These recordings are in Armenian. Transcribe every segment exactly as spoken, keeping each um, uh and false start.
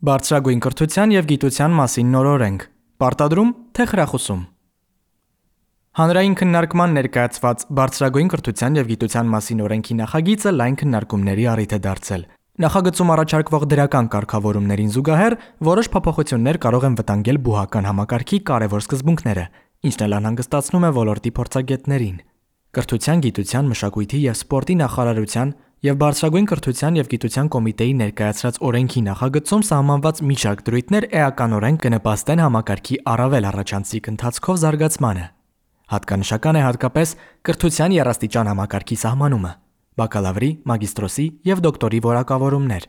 Բարձրագույն կրթության և գիտության մասին նոր օրենք։ Պարտադրում թե խրախուսում։ Հանրային քննարկման ներկայացված Բարձրագույն կրթության և գիտության մասին օրենքի նախագիծը լայն քննարկումների առիթ է դարձել։ Նախագծում առաջարկվող դրական կարգավորումներին զուգահեռ որոշ փոփոխություններ կարող են վտանգել բուհական համակարգի կարևոր սկզբունքները, ինչն էլ անհանգստացնում է ոլորտի փորձագետներին։ Կրթության, գիտության, մշակույթի և սպորտի նախարարության և Բարձրագույն կրթության և գիտության կոմիտեի ներկայացրած օրենքի նախագծում սահմանված մի շարք դրույթներ էականորեն կնպաստեն համակարգի առավել առաջանցիկ ընթացքով զարգացմանը։ Հատկանշական է հատկապես կրթության եռաստիճան համակարգի սահմանումը, բակալավրի, մագիստրոսի և դոկտորի որակավորումներ,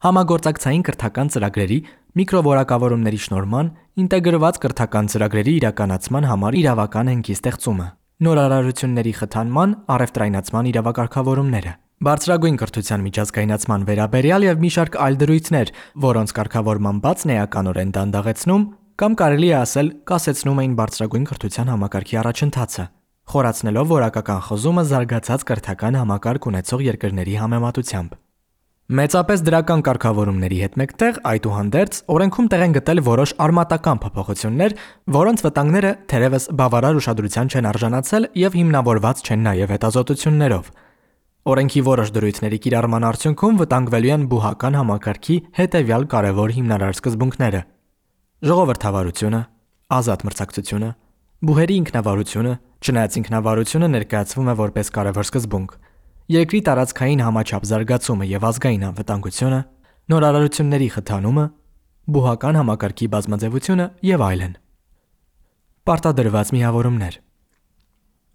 համագործակցային կրթական ծրագրերի, միկրովորակավորումների շնորհման, ինտեգրված կրթական ծրագրերի իրականացման համար իրավական հենքի ստեղծումը, նորարարությունների խթանման, առևտրայնացման իրավակարգավորումները, բարձրագույն կրթության միջազգայնացման վերաբերյալ և մի շարք այլ դրույթներ, որոնց կարգավորման բացն էականորեն դանդաղեցնում կամ կարելի է ասել կասեցնում էին բարձրագույն կրթության համակարգի առաջընթացը, խորացնելով որակական խզումը զարգացած կրթական համակարգ ունեցող երկրների համեմատությամբ։ Մեծապես դրական կարգավորումների հետ մեկտեղ, այդուհանդերձ, օրենքում տեղ են գտել որոշ արմատական փոփոխություններ, որոնց վտանգները թերևս բավարար ուշադրության չեն արժանացել և հիմնավորված չեն նաև հետազոտություններով։ Օրենքի որոշ դրույթների կիրառման արդյունքում վտանգվելու են բուհական համակարգի հետևյալ կարևոր հիմնարար սկզբունքները՝ ժողովրդավարությունը, ազատ մրցակցությունը, բուհերի ինքնավարությունը, չնայած ինքնավարությունը ներկայացվում է որպես կարևոր սկզբունք, երկրի տարածքային համաչափ զարգացումը և ազգային անվտանգությունը, նորարարությունների խթանումը, բուհական համակարգի բազմաձևությունը և այլն։ Պարտադրված միավորումներ։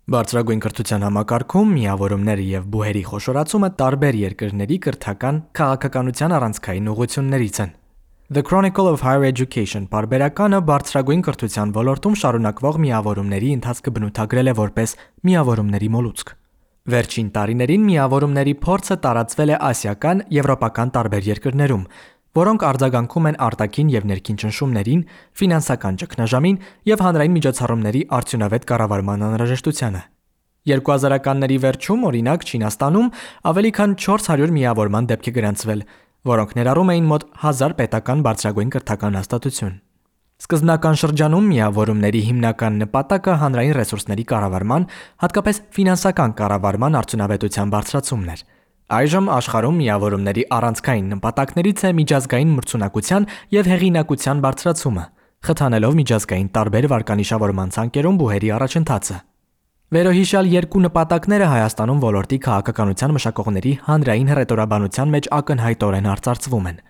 Բարձրագույն կրթության համակարգում միավորումները և բուհերի խոշորացումը տարբեր երկրների կրթական քաղաքականության առանցքային ուղղություններից են։ The Chronicle of Higher Education պարբերականը բարձրագույն կրթության ոլորտում շարունակվող միավորումների ընթացքը բնութագրել է որպես միավորումների մոլուցք։ Վերջին տարիներին միավորումների փորձը տարածվել է ասիական, եվրոպական տարբեր երկրներում, որոնք արձագանքում են արտաքին և ներքին ճնշումներին, ֆինանսական ճգնաժամին և հանրային միջոցառումների արդյունավետ կառավարման անհրաժեշտությանը։ երկու հազարականների վերջում, օրինակ, Չինաստանում ավելի քան չորս հարյուր միավորման դեպք է գրանցվել, որոնք ներառում էին մոտ հազար պետական բարձրագույն կրթական հաստատություն։ Սկզբնական շրջանում միավորումների հիմնական նպատակը հանրային ռեսուրսների կառավարման, հատկապես ֆինանսական կառավարման արդյունավետության բարձրացումն էր։ Այժմ աշխարհում միավորումների առանցքային նպատակներից է միջազգային մրցունակության և հեղինակության բարձրացումը, խթանելով միջազգային տարբեր վարկանիշավորման ցանկերում բուհերի առաջընթացը։ Վերոհիշյալ երկու նպատակները Հայաստանում ոլորտի քաղաքականության մշակողների հանրային հռետորաբանության մեջ ակնհայտորեն արծարծվում են։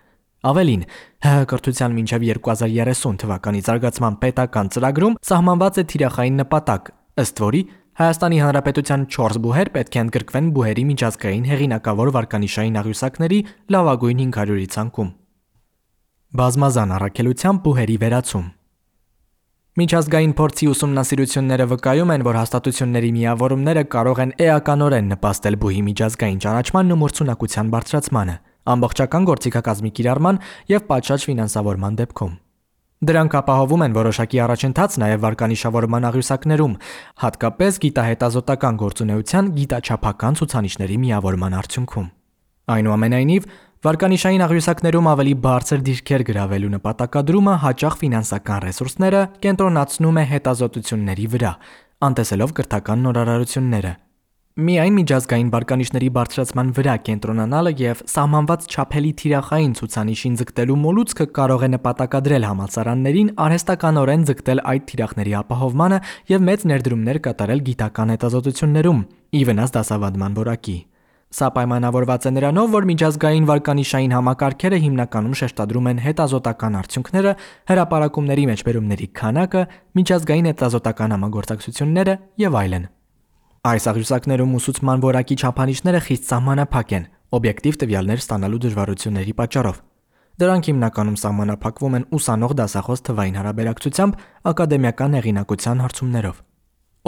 Ավելին, ՀՀ կրթության մինչև երկու հազար երեսուն թվականի զարգացման պետական ծրագրում սահմանված է թիրախային նպատակ, ըստ որի Հայաստանի Հանրապետության չորս բուհեր պետք է ընդգրկվեն բուհերի միջազգային հեղինակավոր վարկանիշային աղյուսակների լավագույն հինգ հարյուրի ցանկում։ Բազմազան առաքելությամբ բուհերի վերացում։ Միջազգային փորձի ուսումնասիրությունները վկայում են, որ հաստատությունների միավորումները կարող են էականորեն նպաստել բուհի միջազգային ճանաչմանն ու մրցունակության բարձրացմանը, ամբողջական գործիքակազմի կիրառման և պատշաճ ֆինանսավորման դեպքում։ Դրանք ապահովում են որոշակի առաջընթաց նաև վարկանիշավորման աղյուսակներում, հատկապես գիտահետազոտական գործունեության գիտաչափական ցուցանիշների միավորման արդյունքում։ Այնուամենայնիվ, վարկանիշային աղյուսակներում ավելի բարձր դիրքեր գրավելու նպատակադրումը հաճախ ֆինանսական ռեսուրսները կենտրոնացնում է հետազոտությունների վրա, անտեսելով կրթական նորարարությունները։ Միայն միջազգային վարկանիշների բարձրացման վրա կենտրոնանալը և սահմանված չափելի թիրախային ցուցանիշին ձգտելու մոլուցքը կարող է նպատակադրել համալսարաններին արհեստականորեն ձգտել այդ թիրախների ապահովմանը և մեծ ներդրումներ կատարել գիտական հետազոտություններում՝ ի վնաս դասավանդման որակի։ Սա պայմանավորված է նրանով, որ միջազգային վարկանիշային համակարգերը հիմնականում շեշտադրում են հետազոտական արդյունքները, հրապարակումների մեջբերումների քանակը, միջազգային հետազոտական համագործակցությունները և այլն։ Այս աղյուսակներում ուսուցման որակի չափանիշները խիստ սահմանափակ են՝ օբյեկտիվ տվյալներ ստանալու դժվարությունների պատճառով։ Դրանք հիմնականում սահմանափակվում են ուսանող դասախոս թվային հարաբերակցությամբ ակադեմիական հեղինակության հարցումներով։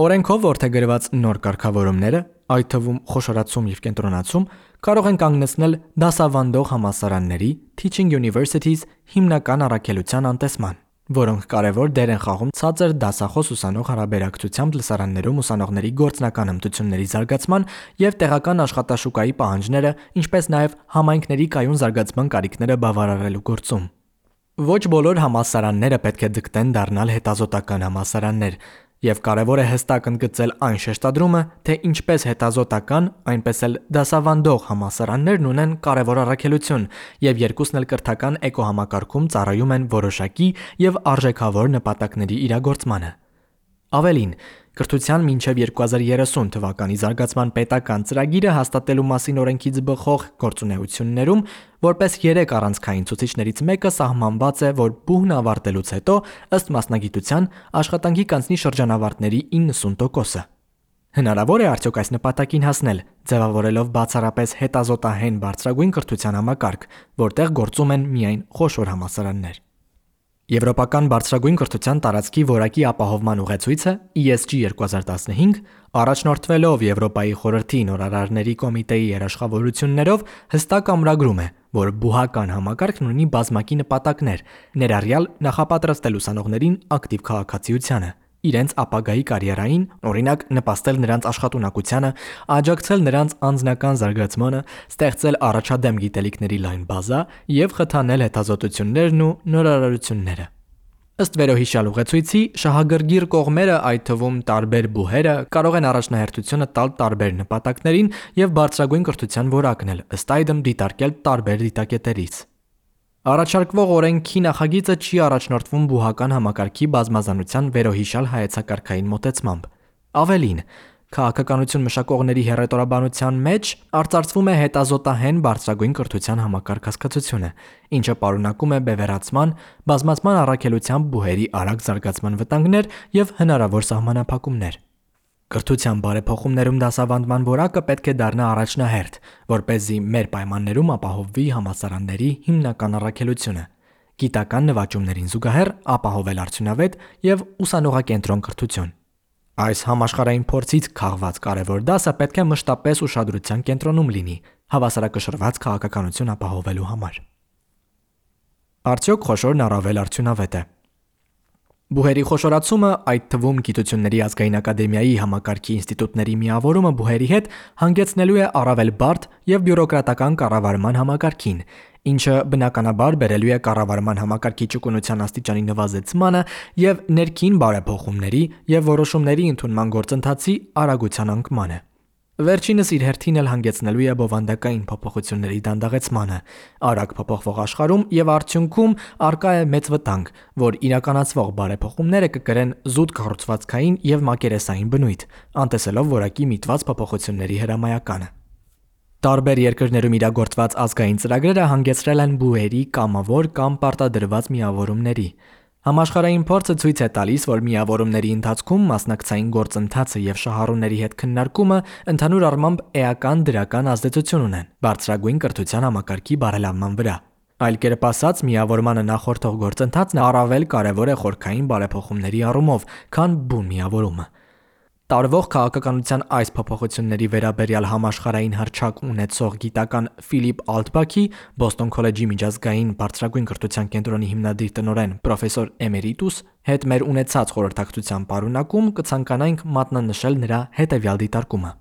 Օրենքով որդեգրված նոր կարգավորումները, այդ թվում խոշորացում և կենտրոնացում, կարող են կանգնեցնել դասավանդող համալսարանների (teaching universities) հիմնական առաքելության անտեսման, որոնք կարևոր դեր են խաղում ցածր դասախոս-ուսանող հարաբերակցությամբ լսարաններում ուսանողների գործնական հմտությունների զարգացման և տեղական աշխատաշուկայի պահանջները, ինչպես նաև համայնքների կայուն զարգացման կարիքները բավարարելու գործում։ Ոչ բոլոր համալսարանները պետք է ձգտեն դառնալ հետազոտական համալսարաններ, եւ կարեւոր է հստակ ընդգծել այն շեշտադրումը, թե ինչպես հետազոտական, այնպես էլ դասավանդող համալսարաններն ունեն կարևոր առաքելություն եւ երկուսն էլ կրթական էկոհամակարգում ծառայում են որոշակի եւ արժեքավոր նպատակների իրագործմանը։ Ավելին, կրթության մինչև երկու հազար երեսուն թվականի զարգացման պետական ծրագիրը հաստատելու մասին օրենքից բխող գործունեություններում որպես երեք առանցքային ցուցիչներից մեկը սահմանված է, որ բուհն ավարտելուց հետո ըստ մասնագիտության աշխատանքի կանցնի շրջանավարտների իննսուն տոկոսը։ Հնարավոր է արդյոք այս նպատակին հասնել, ձևավորելով բացառապես հետազոտահեն բարձրագույն կրթության համակարգ, որտեղ գործում են միայն խոշոր համալսարաններ։ Եվրոպական բարձրագույն կրթության տարածքի որակի ապահովման ուղեցույցը E S G երկու հազար տասնհինգ, առաջնորդվելով Եվրոպայի խորհրդի նորարարների կոմիտեի երաշխավորություններով, հստակ ամրագրում է, որ բուհական համակարգն ունի բազմակի նպատակներ, ներառյալ նախապատրաստել ուսանողներին ակտիվ քաղաքացիությանը, իրենց ապագայի կարիերային, օրինակ նպաստել նրանց աշխատունակությանը, աջակցել նրանց անձնական զարգացմանը, ստեղծել առաջադեմ գիտելիքների լայն բազա եւ խթանել հետազոտություններն ու նորարարությունները։ Ըստ վերոհիշյալ ուղեցույցի, շահագրգիռ կողմերը, այդ թվում տարբեր բուհերը, կարող են առաջնահերթությունը տալ տարբեր նպատակներին եւ բարձրագույն կրթության որակն էլ ըստ այդմ դիտարկել տարբեր դիտակետերից։ Առաջարկվող օրենքի նախագիծը չի առաջնորդվում բուհական համակարգի բազմազանության վերոհիշյալ հայեցակարգային մոտեցմամբ։ Ավելին, քաղաքականություն մշակողների հեռետորաբանության մեջ արծարծվում է հետազոտահեն բարձրագույն կրթության համակարգ հասկացությունը, ինչը պարունակում է բևեռացման, բազմացման առաքելությամբ բուհերի արագ զարգացման վտանգներ եւ հնարավոր սահմանափակումներ։ Կրթության բարեփոխումներում դասավանդման որակը պետք է դառնա առաջնահերթ, որպեսզի մեր պայմաններում ապահովվի համալսարանների հիմնական առաքելությունը՝ գիտական նվաճումներին զուգահեռ ապահովել արդյունավետ եւ ուսանողակենտրոն կրթություն։ Այս համաշխարհային փորձից քաղված կարևոր դասը պետք է մշտապես ուշադրության կենտրոնում լինի հավասարակշռված քաղաքականություն ապահովելու համար։ Արդյոք խոշորն առավել արդյունավետ է։ Բուհերի խոշորացումը, այդ թվում Գիտությունների ազգային ակադեմիայի համակարգի ինստիտուտների միավորումը բուհերի հետ, հանգեցնելու է առավել բարդ եւ բյուրոկրատական կառավարման համակարգին, ինչը բնականաբար բերելու է կառավարման համակարգի ճկունության աստիճանի նվազեցմանը եւ ներքին բարեփոխումների եւ որոշումների ընդունման գործընթացի արագության անկմանը։ Վերջինս իր հերթին էլ հանգեցնելու է բովանդակային փոփոխությունների դանդաղեցմանը, արագ փոփոխվող աշխարհում եւ արդյունքում արկա է մեծ վտանգ, որ իրականացվող բարեփոխումները կկրեն զուտ կառուցվածքային եւ մակերեսային բնույթ, անտեսելով որակի միտված փոփոխությունների հրամայականը։ Տարբեր երկրներում իրագործված ազգային ծրագրերը հանգեցրել են բուհերի կամավոր կամ պարտադրված միավորումների։ Համաշխարհային փորձը ցույց է տալիս, որ միավորումների ընթացքում մասնակցային գործընթացը եւ շահառուների հետ քննարկումը ընդհանուր առմամբ էական դրական ազդեցություն ունեն բարձրագույն կրթության համակարգի բարելավման վրա։ Այլ կերպ ասած, միավորմանը նախորդող գործընթացն առավել կարևոր է խորքային բարեփոխումների առումով, քան բուն միավորումը։ Տարվող քաղաքականության այս փոփոխությունների վերաբերյալ համաշխարհային հռչակ ունեցող գիտական Ֆիլիպ Ալտբաքի, Բոստոն քոլեջի միջազգային բարձրագույն կրթության կենտրոնի հիմնադիր տնօրեն պրոֆեսոր էմերիտուս հետ մեր ունեցած խորհրդակցության պարունակում կցանկանայինք մատնանշել նրա հետևյալ դիտարկումը։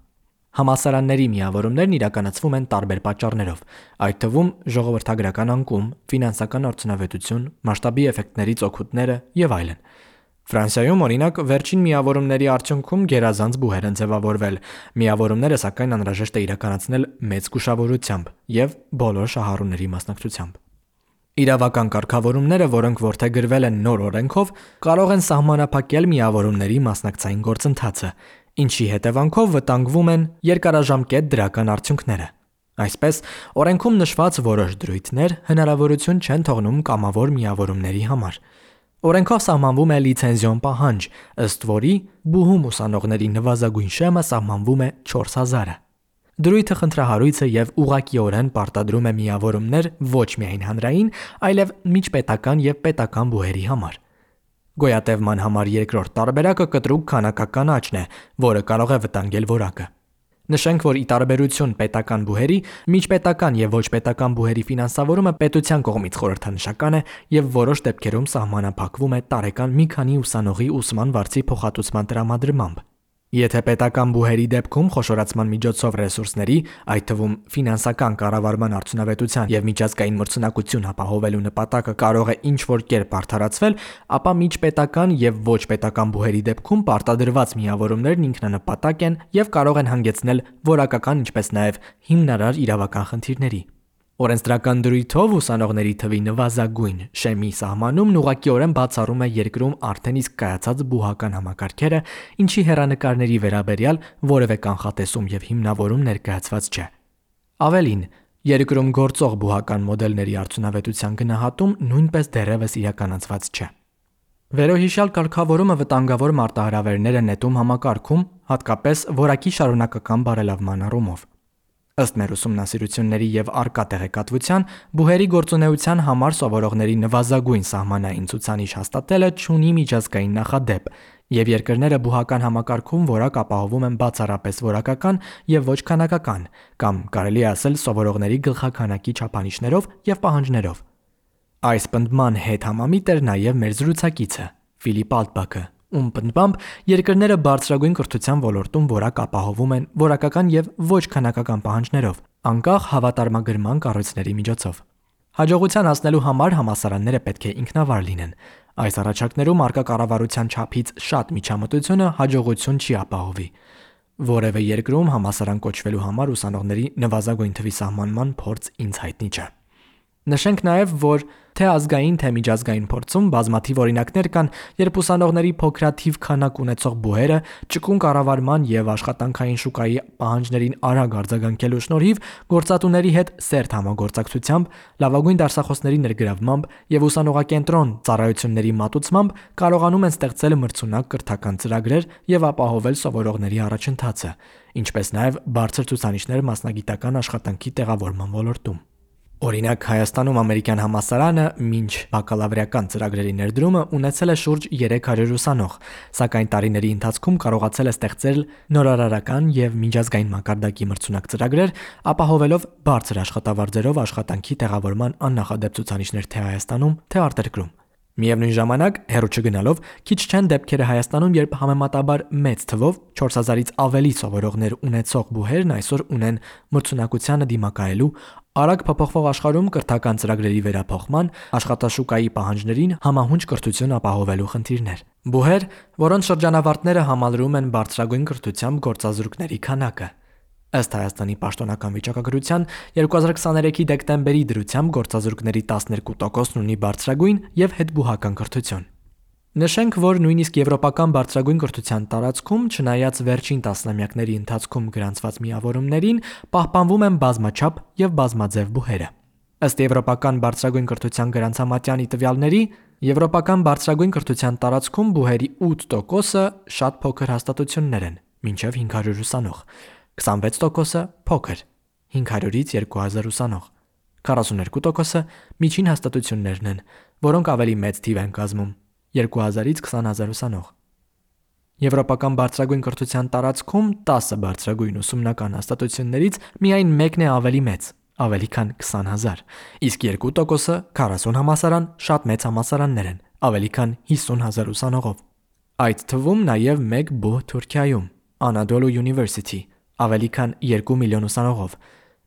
Համալսարանների միավորումներն իրականացվում են տարբեր պատճառներով, այդ թվում ժողովրդագրական անկում, ֆինանսական արդյունավետություն, մասշտաբի էֆեկտներից օգուտները եւ այլն։ Ֆրանսիայում, օրինակ, վերջին միավորումների արդյունքում գերազանց բուհեր են ձևավորվել, միավորումները սակայն անհրաժեշտ է իրականացնել մեծ զգուշավորությամբ եւ բոլոր շահառուների մասնակցությամբ։ Իրավական կարգավորումները, որոնք որդեգրվել են նոր օրենքով, կարող են սահմանափակել միավորումների մասնակցային գործընթացը, ինչի հետևանքով վտանգվում են երկարաժամկետ դրական արդյունքները։ Այսպես, օրենքում նշված որոշ դրույթներ հնարավորություն չեն թողնում կամավոր միավորումների համար։ Օրենքով սահմանվում է լիցենզիոն պահանջ, ըստ որի բուհում ուսանողների նվազագույն շեմը սահմանվում է չորս հազարը։ Դրույթը խնդրահարույց է եւ ուղղակիորեն պարտադրում է միավորումներ ոչ միայն հանրային, այլև միջպետական եւ պետական բուհերի համար։ Գոյատևման համար երկրորդ տարբերակը կտրուկ քանակական աճն է, որը կարող է վտանգել որակը։ Նշենք, որ ի տարբերություն պետական բուհերի, միջպետական եւ ոչ պետական բուհերի ֆինանսավորումը պետության կողմից խորհրդանշական է եւ որոշ դեպքերում սահմանափակվում է տարեկան մի քանի ուսանողի ուսման վարձի փոխհատուցման տրամադրմամբ։ Եթե պետական բուհերի դեպքում խոշորացման միջոցով ռեսուրսների, այդ թվում ֆինանսական կառավարման արդյունավետության եւ միջազգային մրցունակություն ապահովելու նպատակը կարող է ինչ-որ կերպ արդարացվել, ապա միջպետական եւ ոչ պետական բուհերի դեպքում պարտադրված միավորումներն ինքնանպատակ են եւ կարող են հանգեցնել որակական, ինչպես նաեւ հիմնարար իրավական խնդիրների։ Օրենսդրական դրույթով ուսանողների թվի նվազագույն շեմի սահմանումն ուղղակիորեն բացառում է երկրում արդեն իսկ կայացած բուհական համակարգերը, ինչի հեռանկարների վերաբերյալ որևէ կանխատեսում եւ հիմնավորում ներկայացված չէ։ Ավելին, երկրում գործող բուհական մոդելների արդյունավետության գնահատում նույնպես դեռևս իրականացված չէ։ Վերոհիշյալ կարգավորումը վտանգավոր մարտահրավերներ է նետում համակարգում, հատկապես որակի շարունակական բարելավման առումով։ Ըստ մեր ուսումնասիրությունների եւ առկա տեղեկատվության, բուհերի գործունեության համար սովորողների նվազագույն սահմանային ցուցանիշ հաստատելը չունի միջազգային նախադեպ, եւ երկրները բուհական համակարգում որակ ապահովում են բացառապես որակական եւ ոչ քանակական, կամ կարելի է ասել սովորողների գլխաքանակի չափանիշներով եւ պահանջներով։ Այս պնդման հետ համամիտ էր նաեւ մեր զրուցակիցը Ֆիլիպ Ալտբաքը, ում պնդմամբ երկրները բարձրագույն կրթության ոլորտում որակ ապահովում են որակական եւ ոչ քանակական պահանջներով, անկախ հավատարմագրման կառույցների միջոցով։ Հաջողության հասնելու համար համալսարանները պետք է ինքնավար լինեն։ Այս առաջարկներում առկա կառավարության չափից շատ միջամտությունը հաջողություն չի ապահովի։ Որևէ երկրում համալսարան կոչվելու համար ուսանողների նվազագույն թվի սահմանման փորձ ինձ հայտնի չէ։ Նշենք նաև, որ թե ազգային, թե միջազգային փորձում բազմաթիվ օրինակներ կան, երբ ուսանողների փոքրաթիվ քանակ ունեցող բուհերը ճկուն կառավարման եւ աշխատանքային շուկայի պահանջներին արագ արձագանքելու շնորհիվ գործատուների հետ սերտ համագործակցությամբ, լավագույն դասախոսների ներգրավմամբ եւ ուսանողակենտրոն ծառայությունների մատուցմամբ կարողանում են ստեղծել մրցունակ կրթական ծրագրեր եւ ապահովել սովորողների առաջընթացը, ինչպես նաեւ բարձր ցուցանիշներ մասնագիտական աշխատանքի տեղավորման ոլորտում։ Օրինակ, Հայաստանում ամերիկյան համալսարանը մինչ բակալավրիական ծրագրերի ներդրումը ունեցել է շուրջ երեք հարյուր ուսանող, սակայն տարիների ընթացքում կարողացել է ստեղծել նորարարական եւ միջազգային մակարդակի մրցունակ ծրագրեր, ապահովելով բարձր աշխատավարձերով աշխատանքի տեղավորման աննախադեպ ցուցանիշներ թե Հայաստանում, թե արտերկրում։ Միևնույն ժամանակ, հեռու չգնալով, քիչ չեն դեպքերը Հայաստանում, երբ համեմատաբար մեծ թվով չորս հազարից ավելի սովորողներ ունեցող բուհերն այսօր ունեն մրցունակությանը դիմակայելու, արագ փոփոխվող աշխարհում կրթական ծրագրերի վերափոխման, աշխատաշուկայի պահանջներին համահունչ կրթություն ապահովելու խնդիրներ։ Բուհեր, որոնց շրջանավարտները համալրում են բարձրագույն կրթությամբ գործազուրկների քանակը։ Ըստ Հայաստանի պաշտոնական վիճակագրության երկու հազար քսաներեքի դեկտեմբերի դրությամբ գործազուրկների տասներկու տոկոսն ունի բարձրագույն եւ հետբուհական կրթություն։ Նշենք, որ նույնիսկ եվրոպական բարձրագույն կրթության տարածքում, չնայած վերջին տասնամյակների ընթացքում գրանցված միավորումներին, պահպանվում են բազմաչափ եւ բազմաձև բուհերը։ Ըստ եվրոպական բարձրագույն կրթության գրանցամատյանի տվյալների, եվրոպական բարձրագույն կրթության տարածքում բուհերի ութ տոկոսը շատ փոքր հաստատություններ են, մինչև հինգ հարյուր ուսանող, քսանվեց տոկոսը փոքր, հինգ հարյուրից երկու հազար ուսանող, քառասուններկու տոկոսը միջին հաստատություններն են, որոնք ավելի մեծ թիվ են կազմում, երկու հազարից քսան հազար ուսանող։ Եվրոպական բարձրագույն կրթության տարածքում տասը բարձրագույն ուսումնական հաստատություններից միայն մեկն է ավելի մեծ, ավելի քան քսան հազար, իսկ երկու տոկոսը քառասուն համալսարան շատ մեծ համալսարաններ են, ավելի քան հիսուն հազար ուսանողով։ Այդ թվում նաև մեկ բուհ Թուրքիայում, Anadolu University, ավելի քան երկու միլիոն ուսանողով։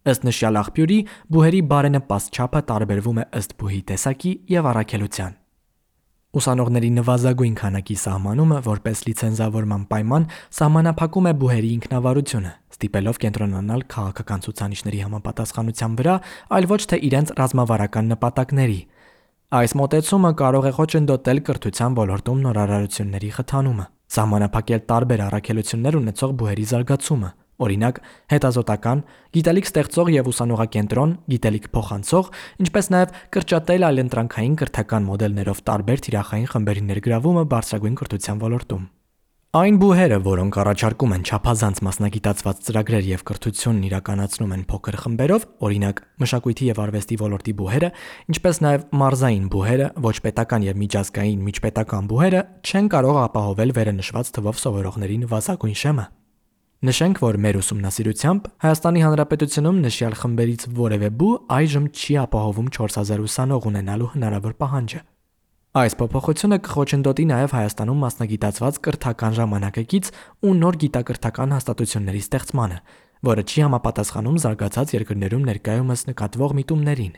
Ըստ նշյալ աղբյուրի, բուհերի բարենպաստ չափը տարբերվում է ըստ բուհի տեսակի եւ առաքելության։ Ուսանողների նվազագույն քանակի սահմանումը որպես լիցենզավորման պայման սահմանափակում է բուհերի ինքնավարությունը, ստիպելով կենտրոնանալ քաղաքական ցուցանիշների համապատասխանության վրա, այլ ոչ թե իրենց ռազմավարական նպատակների։ Այս մոտեցումը կարող է խոչընդոտել կրթության ոլորտում նորարարությունների խթանումը, սահմանափակել տարբեր առաքելություններ ունեցող բուհերի զարգացումը, օրինակ հետազոտական, գիտելիք ստեղծող եւ ուսանողակենտրոն, գիտելիք փոխանցող, ինչպես նաեւ կրճատել այլընտրանքային կրթական մոդելներով տարբեր թիրախային խմբերի ներգրավումը բարձրագույն կրթության ոլորտում։ Այն բուհերը, որոնք առաջարկում են չափազանց մասնագիտացված ծրագրեր եւ կրթությունն իրականացնում են փոքր խմբերով, օրինակ մշակույթի եւ արվեստի ոլորտի բուհերը, ինչպես նաեւ մարզային բուհերը, ոչ պետական եւ միջազգային միջպետական բուհերը, չեն կարող ապահովել վերընշված թվով սովորողների նվազագույն շեմը։ Նշենք, որ մեր ուսումնասիրությամբ Հայաստանի Հանրապետությունում նշյալ խմբերից որևէ բու այժմ չի ապահովում չորս հազար ուսանող ունենալու հնարավոր պահանջը։ Այս փոփոխությունը կխոչընդոտի նաև Հայաստանում մասնագիտացված կրթական ժամանակակից ու նոր գիտակրթական հաստատությունների ստեղծմանը, որը չի համապատասխանում զարգացած երկրներում ներկայումս նկատվող միտումներին։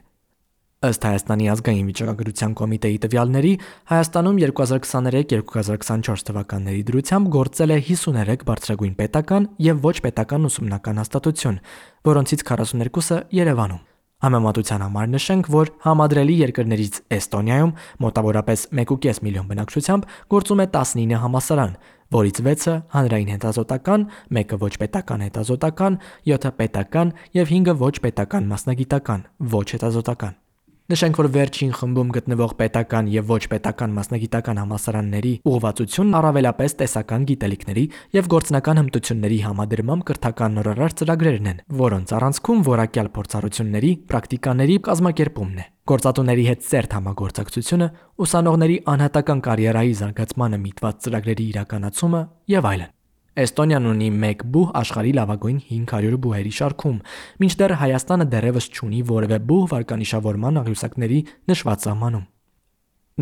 Ըստ Հայաստանի ազգային վիճակագրության կոմիտեի տվյալների, Հայաստանում երկու հազար քսաներեք երկու հազար քսանչորս թվականների դրությամբ գործել է հիսուներեք բարձրագույն պետական եւ ոչ պետական ուսումնական հաստատություն, որոնցից քառասուներկուսը Երևանում։ Համեմատության համար նշենք, որ համադրելի երկրներից Էստոնիայում մոտավորապես մեկ կόμma պենս միլիոն բնակչությամբ գործում է տասնինը համալսարան, որից վեցը հանրային հետազոտական, մեկը ոչ պետական հետազոտական, յոթը պետական եւ հինգը ոչ պետական մասնագիտական, ոչ հետազոտական։ Նշենք, որ վերջին խմբում գտնվող պետական եւ ոչ պետական մասնագիտական համալսարանների ուղղվածությունն առավելապես տեսական գիտելիքների եւ գործնական հմտությունների համադրմամբ կրթական նորարար ծրագրերն են, որոնց առանցքում որակյալ փորձառությունների, պրակտիկաների կազմակերպումն է։ Գործատուների հետ ծերտ համագործակցությունը, ուսանողների անհատական կարիերայի զարգացմանը միտված ծրագրերի իրականացումը եւ այլն։ Էստոնիան ունի մեկ բուհ աշխարհի լավագույն հինգ հարյուր բուհերի շարքում, մինչդեռ Հայաստանը դեռևս չունի որևէ բուհ վարկանիշավորման աղյուսակների նշված սահմանում։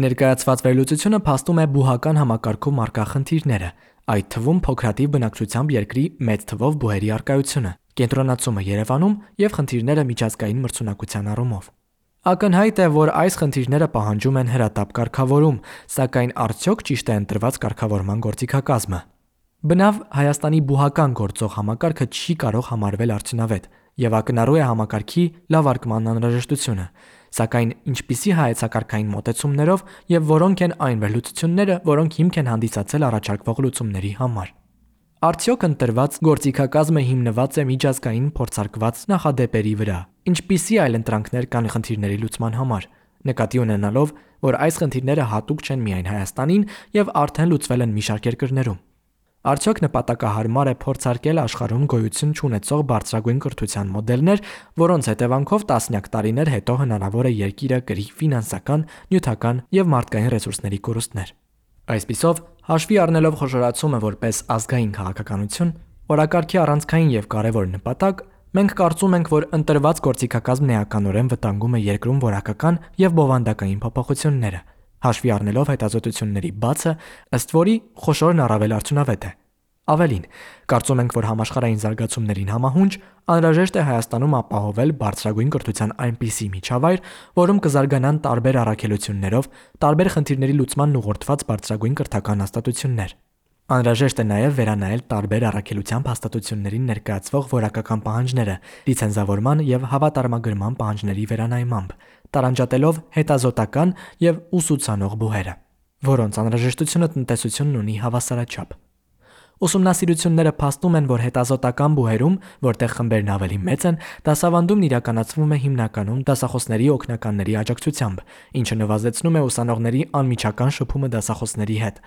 Ներկայացված վերլուծությունը փաստում է բուհական համակարգում առկա խնդիրները, այդ թվում փոքրաթիվ բնակչությամբ երկրի մեծ թվով բուհերի առկայությունը, կենտրոնացումը Երևանում եւ խնդիրները միջազգային մրցունակության առումով։ Ակնհայտ է, որ այս խնդիրները պահանջում են հրատապ կարգավորում, սակայն արդյոք ճիշտ է ընտրված կարգավորման գործիքակազմը։ Բնավ Հայաստանի բուհական գործող համակարգը չի կարող համարվել արդյունավետ եւ ակնառու է համակարգի լավ արկման անհրաժեշտությունը, սակայն ինչպիսի հայեցակարգային մոտեցումներով եւ որոնք են այն վերլուծությունները, որոնք հիմք են հանդիսացել առաջարկվող լուծումների համար։ Արդյոք ընտրված գործիքակազմը հիմնված է միջազգային փորձարկված նախադեպերի վրա։ Ինչպիսի այլ ընտրանքներ կան խնդիրների լուծման համար, նկատի ունենալով, որ այս խնդիրները հատուկ չեն միայն Հայաստանին եւ արդեն լուծվել են մի շարք երկրներում։ Արդյոք նպատակահարմար է փորձարկել աշխարհում գոյություն չունեցող բարձրագույն կրթության մոդելներ, որոնց հետևանքով տասնյակ տարիներ հետո հնարավոր է երկիրը կրի ֆինանսական, նյութական եւ մարդկային ռեսուրսների կորուստներ։ Այսպիսով, հաշվի առնելով խոշորացումը որպես ազգային քաղաքականություն, օրակարգի առանցքային եւ կարեւոր նպատակ, մենք կարծում ենք, որ ընտրված գործիքակազմն էականորեն վտանգում է երկրում որակական եւ բովանդակային փոփոխությունները, հաշվի առնելով հետազոտությունների բացը, ըստ որի խոշորն առավել արդյունավետ է։ Ավելին, կարծում ենք, որ համաշխարհային զարգացումներին համահունչ անհրաժեշտ է Հայաստանում ապահովել բարձրագույն կրթության այնպիսի միջավայր, որում կզարգանան տարբեր առաքելություններով, տարբեր խնդիրների լուծմանն ուղղորդված բարձրագույն կրթական հաստատություններ։ Անհրաժեշտ է նաև վերանայել տարբեր առաքելությամբ հաստատություններին ներկայացվող որակական պահանջները, լիցենզավորման եւ հավատարմագրման պահանջների վերանայմամբ, տարանջատելով հետազոտական եւ ուսուցանող բուհերը, որոնց անհրաժեշտությունը տնտեսությունն ունի հավասարաչափ։ Ուսումնասիրությունները փաստում են, որ հետազոտական բուհերում, որտեղ խմբերն ավելի մեծ են, դասավանդումն իրականացվում է հիմնականում դասախոսների օգնականների աջակցությամբ, ինչը նվազեցնում է ուսանողների անմիջական շփումը դասախոսների հետ։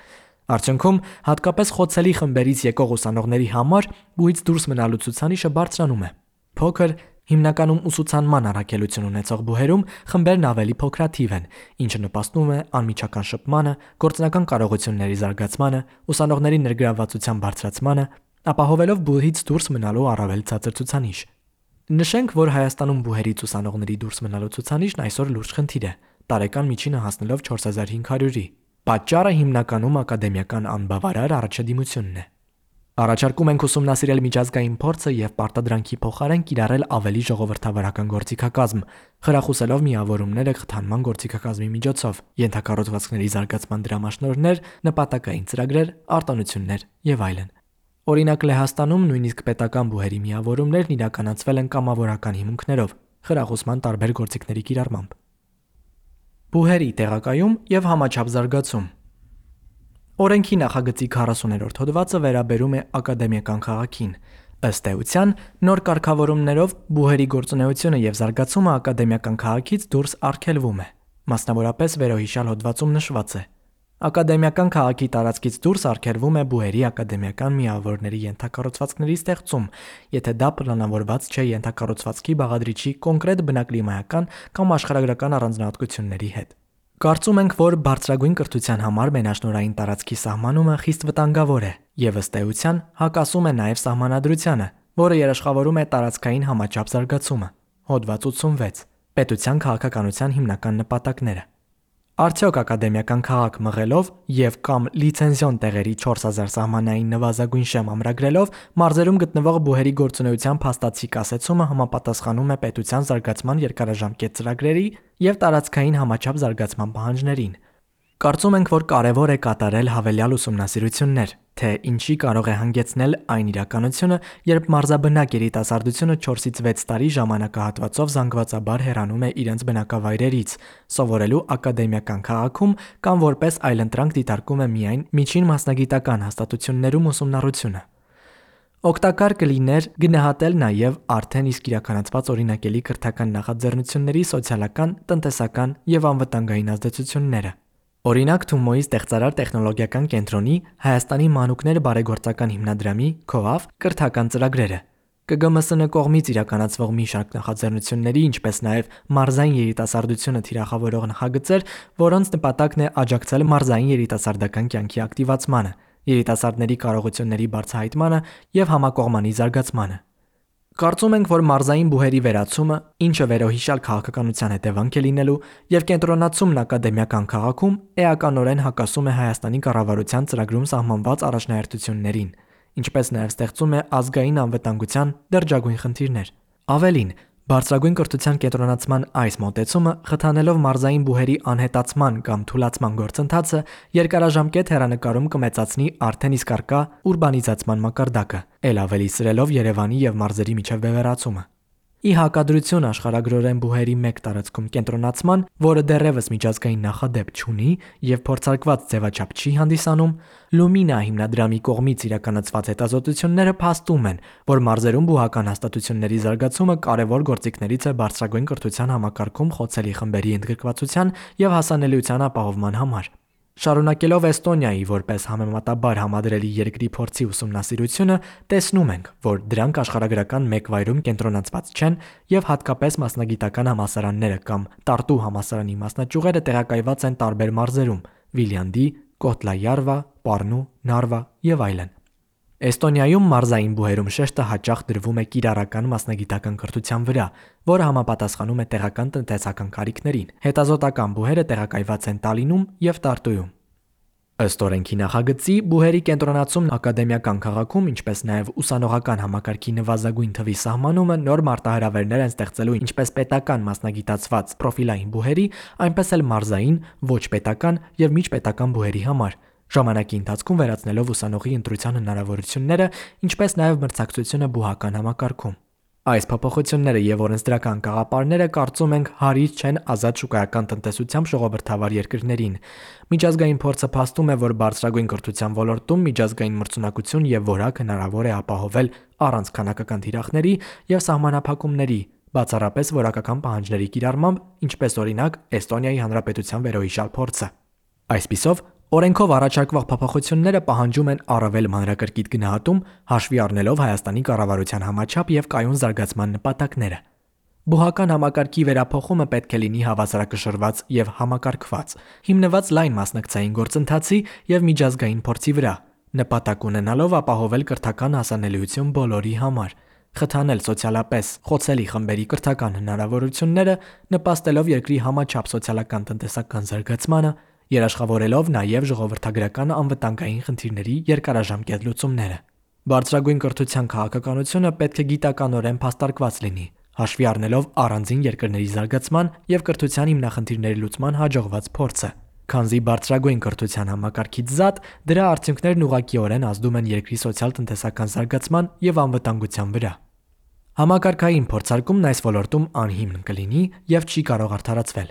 Արդյունքում, հատկապես խոցելի խմբերից եկող ուսանողների համար բուհից դուրս մնալու ցուցանիշը բարձրանում է։ Փոքր, հիմնականում ուսուցանման առաքելություն ունեցող բուհերում խմբերն ավելի փոքրաթիվ են, ինչը նպաստում է անմիջական շփմանը, գործնական կարողությունների զարգացմանը, ուսանողների ներգրավվածության բարձրացմանը, ապահովելով բուհից դուրս մնալու առավել ցածր ցուցանիշ։ Նշենք, որ Հայաստանում բուհերից ուսանողների դուրս մնալու ցուցանիշն այսօր լուրջ խնդիր է, տարեկան միջինը հասնելով չորս հազար հինգ հարյուրի։ Պատճառը հիմնականում ակադեմիական անբավարար առաջադիմությունն է։ Առաջարկում ենք ուսումնասիրել միջազգային փորձը եւ պարտադրանքի փոխարեն կիրառել ավելի ժողովրդավարական գործիքակազմ, խրախուսելով միավորումները խթանման գործիքակազմի միջոցով, ենթակառուցվածքների զարգացման դրամաշնորհներ, նպատակային ծրագրեր, արտոնություններ եւ այլն։ Օրինակ Լեհաստանում նույնիսկ պետական բուհերի միավորումներն իրականացվել են կամավորական հիմունքներով, խրախուսման տարբեր գործիքների կիրառմամբ։ Բուհերի տեղակայում եւ համաչափ զարգացում։ Օրենքի նախագծի քառասուներորդ հոդվածը վերաբերում է ակադեմիական քաղաքին։ Ըստ էության, նոր կարգավորումներով բուհերի գործունեությունը եւ զարգացումը ակադեմիական քաղաքից դուրս արգելվում է։ Մասնավորապես վերոհիշյալ հոդվածում նշված է. Ակադեմիական քաղաքի տարածքից դուրս արգելվում է բուհերի ակադեմիական միավորների ենթակառուցվածքների ստեղծում, եթե դա պլանավորված չէ ենթակառուցվածքի բաղադրիչի կոնկրետ բնակլիմայական կամ աշխարհագրական առանձնահատկությունների հետ։ Կարծում ենք, որ բարձրագույն կրթության համար մենաշնորհային տարածքի սահմանումը խիստ վտանգավոր է եւ ըստ էության հակասում է նաեւ սահմանադրությանը, որը երաշխավորում է տարածքային համաչափ զարգացումը։ Հոդված ութսունվեց. Պետության քաղաքականության հիմնական նպատակները։ Արդյոք ակադեմիական քաղաք մղելով եւ կամ լիցենզիոն տեղերի չորս հազար սահմանային նվազագույն շեմ ամրագրելով մարզերում գտնվող բուհերի գործունեության փաստացի կասեցումը համապատասխանում է պետության զարգացման երկարաժամկետ ծրագրերի եւ տարածքային համաչափ զարգացման պահանջներին։ Կարծում ենք, որ կարևոր է կատարել հավելյալ ուսումնասիրություններ, թե ինչի կարող է հանգեցնել այն իրականությունը, երբ մարզաբնակ երիտասարդությունը չորսից վեց տարի ժամանակահատվածով զանգվածաբար հեռանում է իրենց բնակավայրերից, սովորելու ակադեմիական քաղաքում կամ որպես այլընտրանք դիտարկում է միայն միջին մասնագիտական հաստատություններում ուսումնառությունը։ Օգտակար կլիներ գնահատել նաև արդեն իսկ իրականացված օրինակելի կրթական նախաձեռնությունների սոցիալական, տնտեսական եւ անվտանգային ազդեցությունները։ Օրինակ Թումոյի ստեղծարար տեխնոլոգիական կենտրոնի Հայաստանի մանուկներ բարեգործական հիմնադրամի (ՔՈԱՎ) կրթական ծրագրերը, Կ Գ M S N կողմից իրականացվող մի շարք նախաձեռնությունների, ինչպես նաև մարզային երիտասարդությունը թիրախավորող նախագծեր, որոնց նպատակն է աջակցել մարզային երիտասարդական կյանքի ակտիվացմանը, երիտասարդների կարողությունների բարձրահայտմանը եւ համակողմանի զարգացմանը։ Կարծում ենք, որ մարզային բուհերի վերացումը, ինչը վերոհիշյալ քաղաքականության հետևանք է լինելու, եւ կենտրոնացումն ակադեմիական քաղաքում էականորեն հակասում է Հայաստանի կառավարության ծրագրում սահմանված առաջնահերթություններին, ինչպես նաև ստեղծում է ազգային անվտանգության դեռ խնդիրներ։ Ավելին, բարձրագույն կրթության կենտրոնացման այս մոտեցումը, խթանելով մարզային բուհերի անհետացման կամ թուլացման գործընթացը, երկարաժամկետ հեռանկարում կմեծացնի արդեն իսկ առկա ուրբանիզացման մակարդակը, ել ավելի սրելով Երևանի եւ մարզերի միջև բևեռացումը։ Ի հակադրություն աշխարհագրորեն բուհերի մեկ տարածքում կենտրոնացման, որը դեռևս միջազգային նախադեպ չունի եւ փորձարկված ձևաչափ չի հանդիսանում, Լումինա հիմնադրամի կողմից իրականացված հետազոտությունները փաստում են, որ մարզերում բուհական հաստատությունների զարգացումը կարևոր գործիքներից է բարձրագույն կրթության համակարգում խոցելի խմբերի ընդգրկվածության եւ հասանելիության ապահովման համար։ Շարունակելով Էստոնիայի որպես համեմատաբար համադրելի երկրի փորձի ուսումնասիրությունը, տեսնում ենք, որ դրանք աշխարհագրական մեկ վայրում կենտրոնացված չեն եւ հատկապես մասնագիտական համալսարանները կամ Տարտու համալսարանի մասնաճյուղերը տեղակայված են տարբեր մարզերում՝ Վիլյանդի, Կոտլայարվա, Պառնու, Նարվա եւ այլն։ Էստոնիայում մարզային բուհերում շեշտը հաճախ դրվում է կիրառական մասնագիտական կրթության վրա, որը համապատասխանում է տեղական տնտեսական կարիքներին։ Հետազոտական բուհերը տեղակայված են Տալինում եւ Տարտուում։ Ըստ օրենքի նախագծի, բուհերի կենտրոնացումն ակադեմիական քաղաքում, ինչպես նաև ուսանողական համակարգի նվազագույն թվի սահմանումը նոր մարտահրավերներ են ստեղծելու ինչպես պետական մասնագիտացված պրոֆիլային բուհերի, այնպես էլ մարզային, ոչ պետական եւ միջպետական բուհերի համար, ժամանակի ընթացքում վերացնելով ուսանողի ընտրության հնարավորությունները, ինչպես նաև մրցակցությունը բուհական համակարգում։ Այս փոփոխությունները եւ օրենսդրական գաղափարները, կարծում ենք, հարից չեն ազատ շուկայական տնտեսությամբ ժողովրդավար երկրներին։ Միջազգային փորձը փաստում է, որ բարձրագույն կրթության ոլորտում միջազգային մրցունակություն եւ որակ հնարավոր է ապահովել առանց քանակական թիրախների եւ սահմանափակումների, բացառապես որակական պահանջների կիրառմամբ, ինչպես օրինակ Էստոնիայի Հանրապետության վերոհիշյալ փորձը։ Այսպիսով, օրենքով առաջարկվող փոփոխությունները պահանջում են առավել մանրակրկիտ գնահատում, հաշվի առնելով Հայաստանի կառավարության համաչափ եւ կայուն զարգացման նպատակները։ Բուհական համակարգի վերափոխումը պետք է լինի հավասարակշռված եւ համակարգված, հիմնված լայն մասնակցային գործընթացի եւ միջազգային փորձի վրա, նպատակ ունենալով ապահովել կրթական հասանելիություն բոլորի համար, խթանել սոցիալապես խոցելի խմբերի կրթական հնարավորությունները, նպաստելով երկրի համաչափ սոցիալական տնտեսական զարգացմանը, երաշխավորելով նաև ժողովրդագրական անվտանգային խնդիրների երկարաժամկետ լուծումները։ Բարձրագույն կրթության քաղաքականությունը պետք է գիտականորեն փաստարկված լինի, հաշվի առնելով առանձին երկրների զարգացման եւ կրթության հիմնախնդիրների լուծման հաջողված փորձը, քանզի բարձրագույն կրթության համակարգից զատ դրա արդյունքներն ուղղակիորեն ազդում են երկրի սոցիալ-տնտեսական զարգացման եւ անվտանգության վրա։ Համակարգային փորձարկումն այս ոլորտում անհիմն կլինի եւ չի կարող արդարացվել։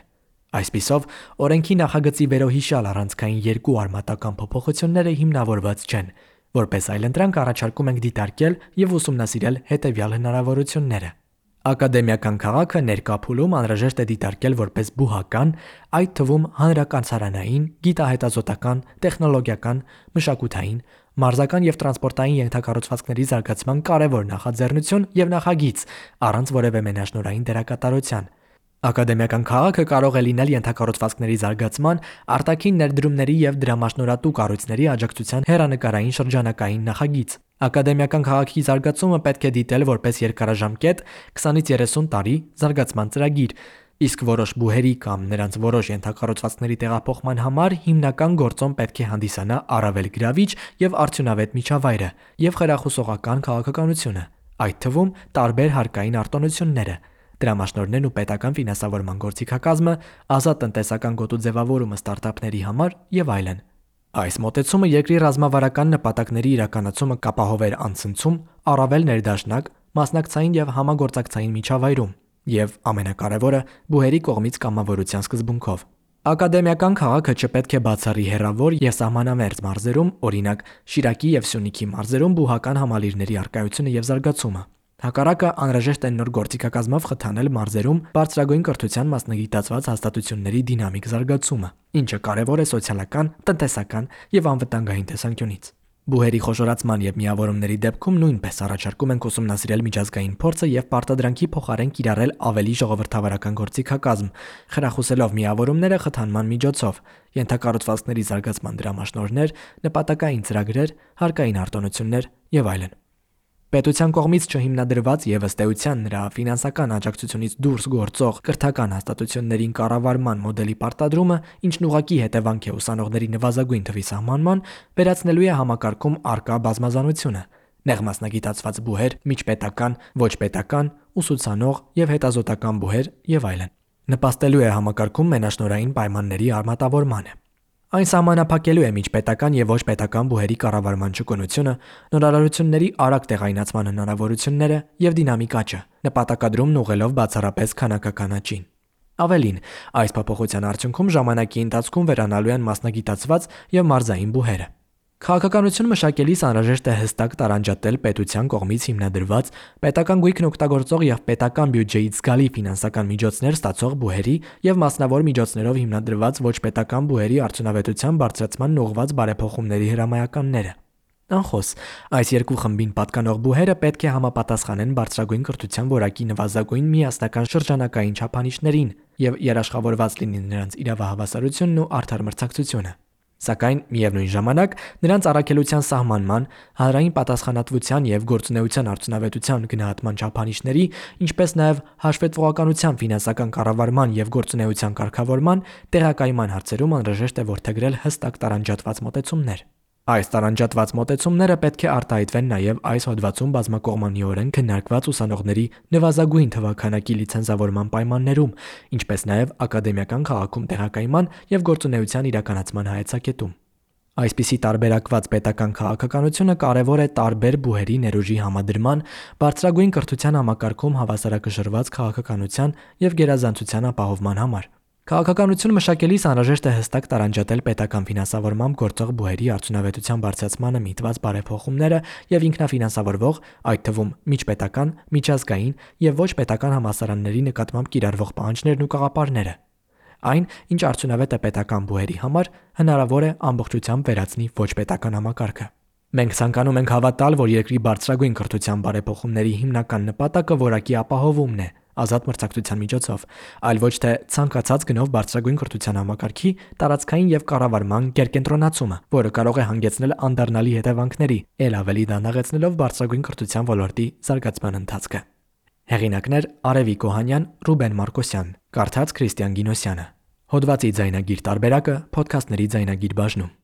Այսպիսով, օրենքի նախագծի վերոհիշյալ առանցքային երկու արմատական փոփոխությունները հիմնավորված չեն, որպես այլընտրանք առաջարկում ենք դիտարկել եւ ուսումնասիրել հետեւյալ հնարավորությունները։ Ակադեմիական քաղաքը ներկա փուլում անհրաժեշտ է դիտարկել որպես բուհական, այդ թվում հանրակացարանային, գիտահետազոտական, տեխնոլոգիական, մշակութային, մարզական եւ տրանսպորտային ենթակառուցվածքների զարգացման կարևոր նախաձեռնություն եւ նախագիծ, առանց որևէ մենաշնորհային դերակատարության։ Ակադեմիական քաղաքը կարող է լինել ենթակառուցվածքների զարգացման, արտաքին ներդրումների եւ դրամաշնորհատու կառույցների աջակցության հեռանկարային շրջանակային նախագիծ։ Ակադեմիական քաղաքի զարգացումը պետք է դիտել որպես երկարաժամկետ քսանից երեսուն տարի զարգացման ծրագիր, Իսկ որոշ բուհերի կամ նրանց որոշ ենթակառուցվածքների տեղափոխման համար հիմնական գործոն պետք է հանդիսանա առավել գրավիչ եւ արդյունավետ միջավայրը եւ խրախուսողական քաղաքականությունը, այդ թվում տարբեր հարկային արտոնությունները, դրամաշնորհներն ու պետական ֆինանսավորման գործիքակազմը, ազատ տնտեսական գոտու ձևավորումը ստարտափների համար եւ այլն։ Այս մոտեցումը երկրի ռազմավարական նպատակների իրականացումը կապահովեր անցնցում, առավել ներդաշնակ, մասնակցային եւ համագործակցային միջավայրում եւ ամենակարևորը բուհերի կողմից կամավորության սկզբունքով։ Ակադեմիական քաղաքը չպետք է բացառի հեռավոր եւ սահմանամերձ մարզերում, օրինակ Շիրակի եւ Սյունիքի մարզերում բուհական համալիրների առկայությունը եւ զարգացումը։ Հակառակը անհրաժեշտ է նոր գործիքակազմով խթանել մարզերում բարձրագույն կրթության մասնագիտացված հաստատությունների դինամիկ զարգացումը, ինչը կարևոր է սոցիալական, տնտեսական եւ անվտանգային տեսանկյունից։ Բուհերի խոշորացման եւ միավորումների դեպքում նույնպես առաջարկում ենք ուսումնասիրել միջազգային փորձը եւ պարտադրանքի փոխարեն կիրառել ավելի ժողովրդավարական գործիքակազմ, խրախուսելով միավորումները խթանման միջոցով, ենթակառուցվածքների զարգացման դրամաշնորհներ, նպատակային ծրագրեր, հարկային արտոնություններ եւ այլն։ Պետության կողմից չհիմնադրված եւ ըստ էության նրա ֆինանսական աջակցությունից դուրս գործող կրթական հաստատություններին կառավարման մոդելի պարտադրումը, ինչն ուղղակի հետևանք է ուսանողների նվազագույն թվի սահմանման, վերացնելու է համակարգում առկա բազմազանությունը՝ նեղ մասնագիտացված բուհեր, միջպետական, ոչ պետական, ուսուցանող եւ հետազոտական բուհեր եւ այլն։ Նպաստելու է համակարգում մենաշնորհային պայմանների արմատավորմանը։ Այն սահմանափակելու է միջպետական եւ ոչ պետական բուհերի կառավարման ճկունությունը, նորարարությունների արագ տեղայնացման հնարավորությունները եւ դինամիկ աճը, նպատակադրումն ուղղելով բացառապես քանակական աճին։ Ավելին, այս փոփոխության արդյունքում ժամանակի ընթացքում վերանալու են մասնագիտացված եւ մարզային բուհերը։ Քաղաքականություն մշակելիս անհրաժեշտ է հստակ տարանջատել պետության կողմից հիմնադրված, պետական գույքն օգտագործող եւ պետական բյուջեից զգալի ֆինանսական միջոցներ ստացող բուհերի եւ մասնավոր միջոցներով հիմնադրված ոչ պետական բուհերի արդյունավետության բարձրացման ուղղված բարեփոխումների հրամայականները։ Անխոս, այս երկու խմբին պատկանող բուհերը պետք է համապատասխանեն բարձրագույն կրթության որակի նվազագույն միասնական շրջանակային չափանիշներին եւ երաշխավորված լինի նրանց իրավահավասարությունն ու արդար մրցակցությունը։ Սակայն միևնույն ժամանակ նրանց առաքելության սահմանման, հանրային պատասխանատվության եւ գործունեության արդյունավետության գնահատման չափանիշների, ինչպես նաեւ հաշվետվողականության ֆինանսական կառավարման եւ գործունեության կարգավորման տեղակայման հարցերում անհրաժեշտ է որդեգրել հստակ տարանջատված մոտեցումներ։ Այս տարանջատված մոտեցումները պետք է արտահայտվեն նաեւ այս հոդվածում բազմակողմանիորեն քննարկված ուսանողների նվազագույն թվաքանակի լիցենզավորման պայմաններում, ինչպես նաեւ ակադեմիական քաղաքում տեղակայման եւ գործունեության իրականացման հայեցակետում։ Այսպիսի տարբերակված պետական քաղաքականությունը կարևոր է տարբեր բուհերի ներուժի համադրման, բարձրագույն կրթության համակարգում հավասարակշռված քաղաքականության եւ գերազանցության ապահովման համար։ Քաղաքականություն մշակելիս անհրաժեշտ է հստակ տարանջատել պետական ֆինանսավորմամբ գործող բուհերի արդյունավետության բարձրացմանը միտված բարեփոխումները եւ ինքնաֆինանսավորվող, այդ թվում միջպետական, միջազգային եւ ոչ պետական համալսարանների նկատմամբ կիրառվող պահանջներն ու կաղապարները։ Այն, ինչ արդյունավետ է պետական բուհերի համար, հնարավոր է ամբողջությամբ վերացնի ոչ պետական համակարգը։ Մենք ցանկանում ենք հավատալ, որ երկրի բարձրագույն կրթության բարեփոխումների հիմնական նպատակը որակի ապահովումն է, ազատ մրցակցության միջոցով, այլ ոչ թե ցանկացած գնով բարձրագույն կրթության համակարգի տարածքային եւ կառավարման գերկենտրոնացումը, որը կարող է հանգեցնել անդառնալի հետևանքների, ել ավելի դանդաղեցնելով բարձրագույն կրթության ոլորտի զարգացման ընթացքը։ Հեղինակներ՝ Արևիկ Օհանյան, Ռուբեն Մարկոսյան, կարդաց Քրիստիան Գինոսյանը։ Հոդվածի ձայնագիր տարբերակը Փոդքասթների ձայնագիր բաժնում։